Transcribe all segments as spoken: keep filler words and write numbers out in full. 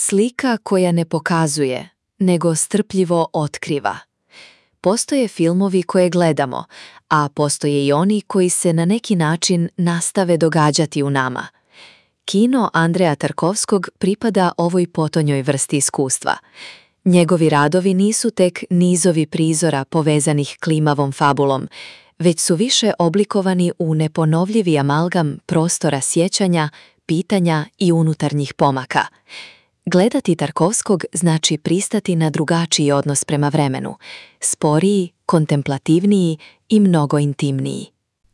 Slika koja ne pokazuje, nego strpljivo otkriva. Postoje filmovi koje gledamo, a postoje i oni koji se na neki način nastave događati u nama. Kino Andreja Tarkovskog pripada ovoj potonjoj vrsti iskustva. Njegovi radovi nisu tek nizovi prizora povezanih klimavom fabulom, već su više oblikovani u neponovljivi amalgam prostora sjećanja, pitanja i unutarnjih pomaka. Gledati Tarkovskog znači pristati na drugačiji odnos prema vremenu, sporiji, kontemplativniji i mnogo intimniji.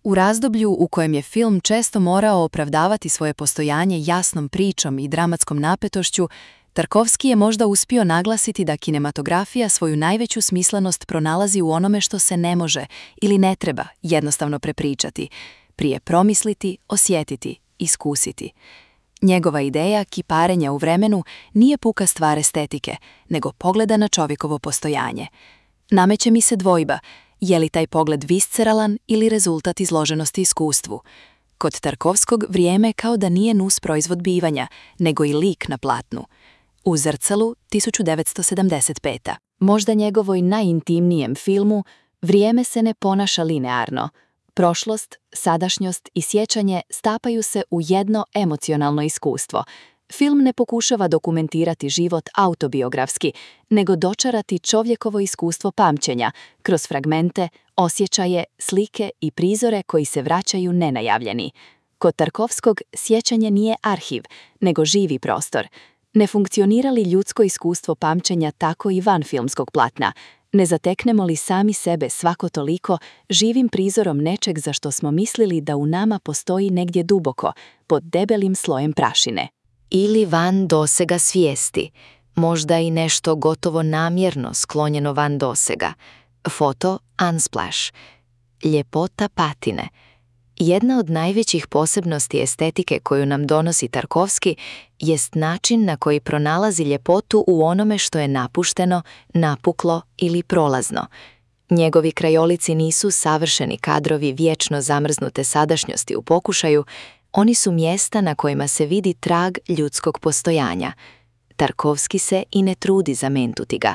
U razdoblju u kojem je film često morao opravdavati svoje postojanje jasnom pričom i dramatskom napetošću, Tarkovski je možda uspio naglasiti da kinematografija svoju najveću smislenost pronalazi u onome što se ne može ili ne treba jednostavno prepričati, prije promisliti, osjetiti, iskusiti. Njegova ideja kiparenja u vremenu nije puka stvar estetike, nego pogleda na čovjekovo postojanje. Nameće mi se dvojba, je li taj pogled visceralan ili rezultat izloženosti iskustvu. Kod Tarkovskog vrijeme kao da nije nus proizvod bivanja, nego i lik na platnu. U Zrcalu tisuću devetsto sedamdeset peta. Možda njegovoj najintimnijem filmu vrijeme se ne ponaša linearno. Prošlost, sadašnjost i sjećanje stapaju se u jedno emocionalno iskustvo. Film ne pokušava dokumentirati život autobiografski, nego dočarati čovjekovo iskustvo pamćenja kroz fragmente, osjećaje, slike i prizore koji se vraćaju nenajavljeni. Kod Tarkovskog sjećanje nije arhiv, nego živi prostor. Ne funkcionira li ljudsko iskustvo pamćenja tako i van filmskog platna? Ne zateknemo li sami sebe svako toliko živim prizorom nečeg za što smo mislili da u nama postoji negdje duboko, pod debelim slojem prašine? Ili van dosega svijesti, možda i nešto gotovo namjerno sklonjeno van dosega. Foto Unsplash. Ljepota patine. Jedna od najvećih posebnosti estetike koju nam donosi Tarkovski jest način na koji pronalazi ljepotu u onome što je napušteno, napuklo ili prolazno. Njegovi krajolici nisu savršeni kadrovi vječno zamrznute sadašnjosti u pokušaju, oni su mjesta na kojima se vidi trag ljudskog postojanja. Tarkovski se i ne trudi zamentuti ga.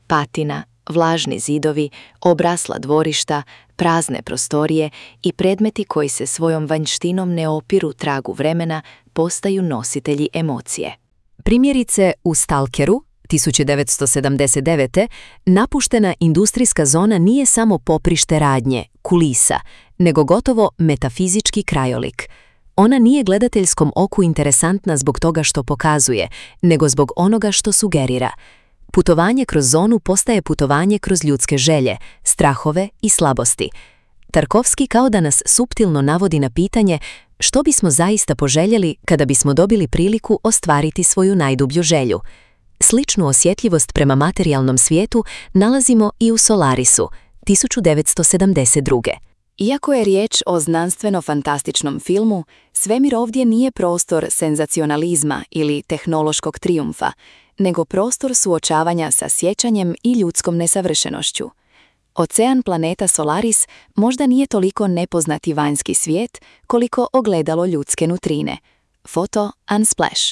Patina, vlažni zidovi, obrasla dvorišta, prazne prostorije i predmeti koji se svojom vanjštinom ne opiru tragu vremena postaju nositelji emocije. Primjerice u Stalkeru tisuću devetsto sedamdeset devete. napuštena industrijska zona nije samo poprište radnje, kulisa, nego gotovo metafizički krajolik. Ona nije gledateljskom oku interesantna zbog toga što pokazuje, nego zbog onoga što sugerira. Putovanje kroz zonu postaje putovanje kroz ljudske želje, strahove i slabosti. Tarkovski kao da nas suptilno navodi na pitanje što bismo zaista poželjeli kada bismo dobili priliku ostvariti svoju najdublju želju. Sličnu osjetljivost prema materijalnom svijetu nalazimo i u Solarisu, tisuću devetsto sedamdeset druge. Iako je riječ o znanstveno-fantastičnom filmu, svemir ovdje nije prostor senzacionalizma ili tehnološkog trijumfa, nego prostor suočavanja sa sjećanjem i ljudskom nesavršenošću. Ocean planeta Solaris možda nije toliko nepoznati vanjski svijet koliko ogledalo ljudske nutrine. Foto Unsplash.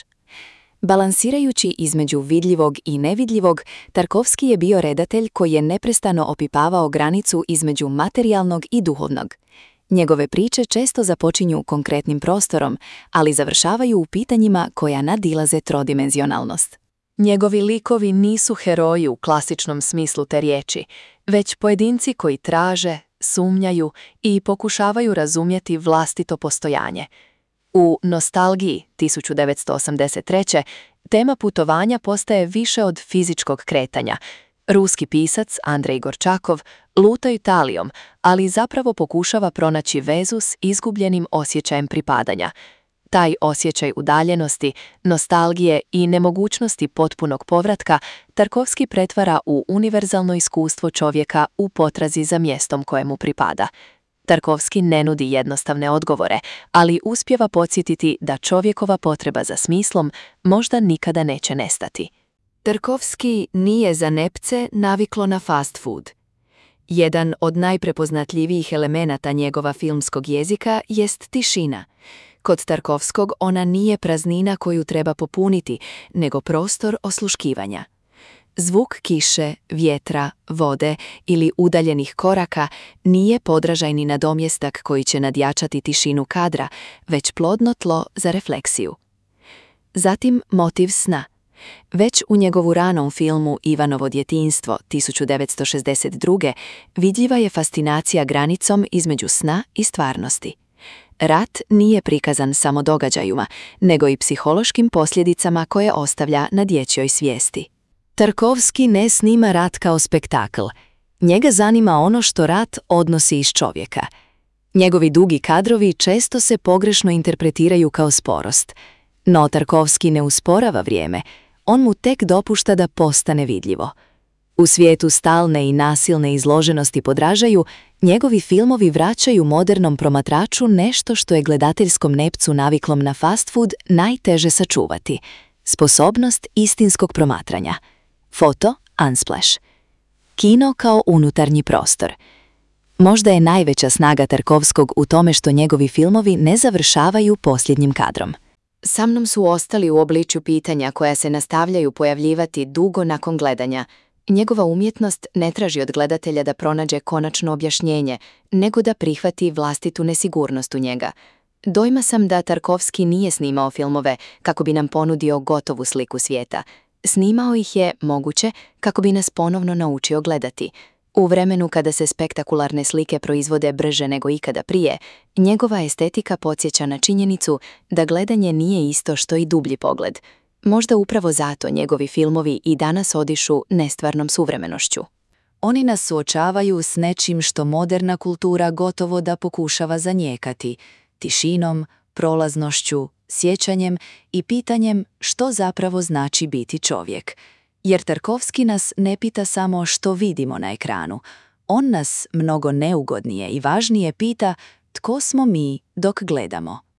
Balansirajući između vidljivog i nevidljivog, Tarkovski je bio redatelj koji je neprestano opipavao granicu između materijalnog i duhovnog. Njegove priče često započinju konkretnim prostorom, ali završavaju u pitanjima koja nadilaze trodimenzionalnost. Njegovi likovi nisu heroji u klasičnom smislu te riječi, već pojedinci koji traže, sumnjaju i pokušavaju razumjeti vlastito postojanje. U Nostalgiji tisuću devetsto osamdeset treće. tema putovanja postaje više od fizičkog kretanja. Ruski pisac Andrej Gorčakov luta Italijom, ali zapravo pokušava pronaći vezu s izgubljenim osjećajem pripadanja. Taj osjećaj udaljenosti, nostalgije i nemogućnosti potpunog povratka Tarkovski pretvara u univerzalno iskustvo čovjeka u potrazi za mjestom kojemu pripada. Tarkovski ne nudi jednostavne odgovore, ali uspijeva podsjetiti da čovjekova potreba za smislom možda nikada neće nestati. Tarkovski nije za nepce naviklo na fast food. Jedan od najprepoznatljivijih elemenata njegova filmskog jezika jest tišina. Kod Tarkovskog ona nije praznina koju treba popuniti, nego prostor osluškivanja. Zvuk kiše, vjetra, vode ili udaljenih koraka nije podražajni nadomjestak koji će nadjačati tišinu kadra, već plodno tlo za refleksiju. Zatim motiv sna. Već u njegovu ranom filmu Ivanovo djetinjstvo tisuću devetsto šezdeset druge vidljiva je fascinacija granicom između sna i stvarnosti. Rat nije prikazan samo događajima, nego i psihološkim posljedicama koje ostavlja na dječjoj svijesti. Tarkovski ne snima rat kao spektakl. Njega zanima ono što rat odnosi iz čovjeka. Njegovi dugi kadrovi često se pogrešno interpretiraju kao sporost. No Tarkovski ne usporava vrijeme, on mu tek dopušta da postane vidljivo. U svijetu stalne i nasilne izloženosti podražaju, njegovi filmovi vraćaju modernom promatraču nešto što je gledateljskom nepcu naviklom na fast food najteže sačuvati – sposobnost istinskog promatranja. Foto Unsplash. Kino kao unutarnji prostor. Možda je najveća snaga Tarkovskog u tome što njegovi filmovi ne završavaju posljednjim kadrom. Sa mnom su ostali u obličju pitanja koja se nastavljaju pojavljivati dugo nakon gledanja. Njegova umjetnost ne traži od gledatelja da pronađe konačno objašnjenje, nego da prihvati vlastitu nesigurnost u njega. Dojma sam da Tarkovski nije snimao filmove kako bi nam ponudio gotovu sliku svijeta. Snimao ih je, moguće, kako bi nas ponovno naučio gledati. U vremenu kada se spektakularne slike proizvode brže nego ikada prije, njegova estetika podsjeća na činjenicu da gledanje nije isto što i dublji pogled. Možda upravo zato njegovi filmovi i danas odišu nestvarnom suvremenošću. Oni nas suočavaju s nečim što moderna kultura gotovo da pokušava zanijekati, tišinom, prolaznošću, sjećanjem i pitanjem što zapravo znači biti čovjek. Jer Tarkovski nas ne pita samo što vidimo na ekranu. On nas mnogo neugodnije i važnije pita tko smo mi dok gledamo.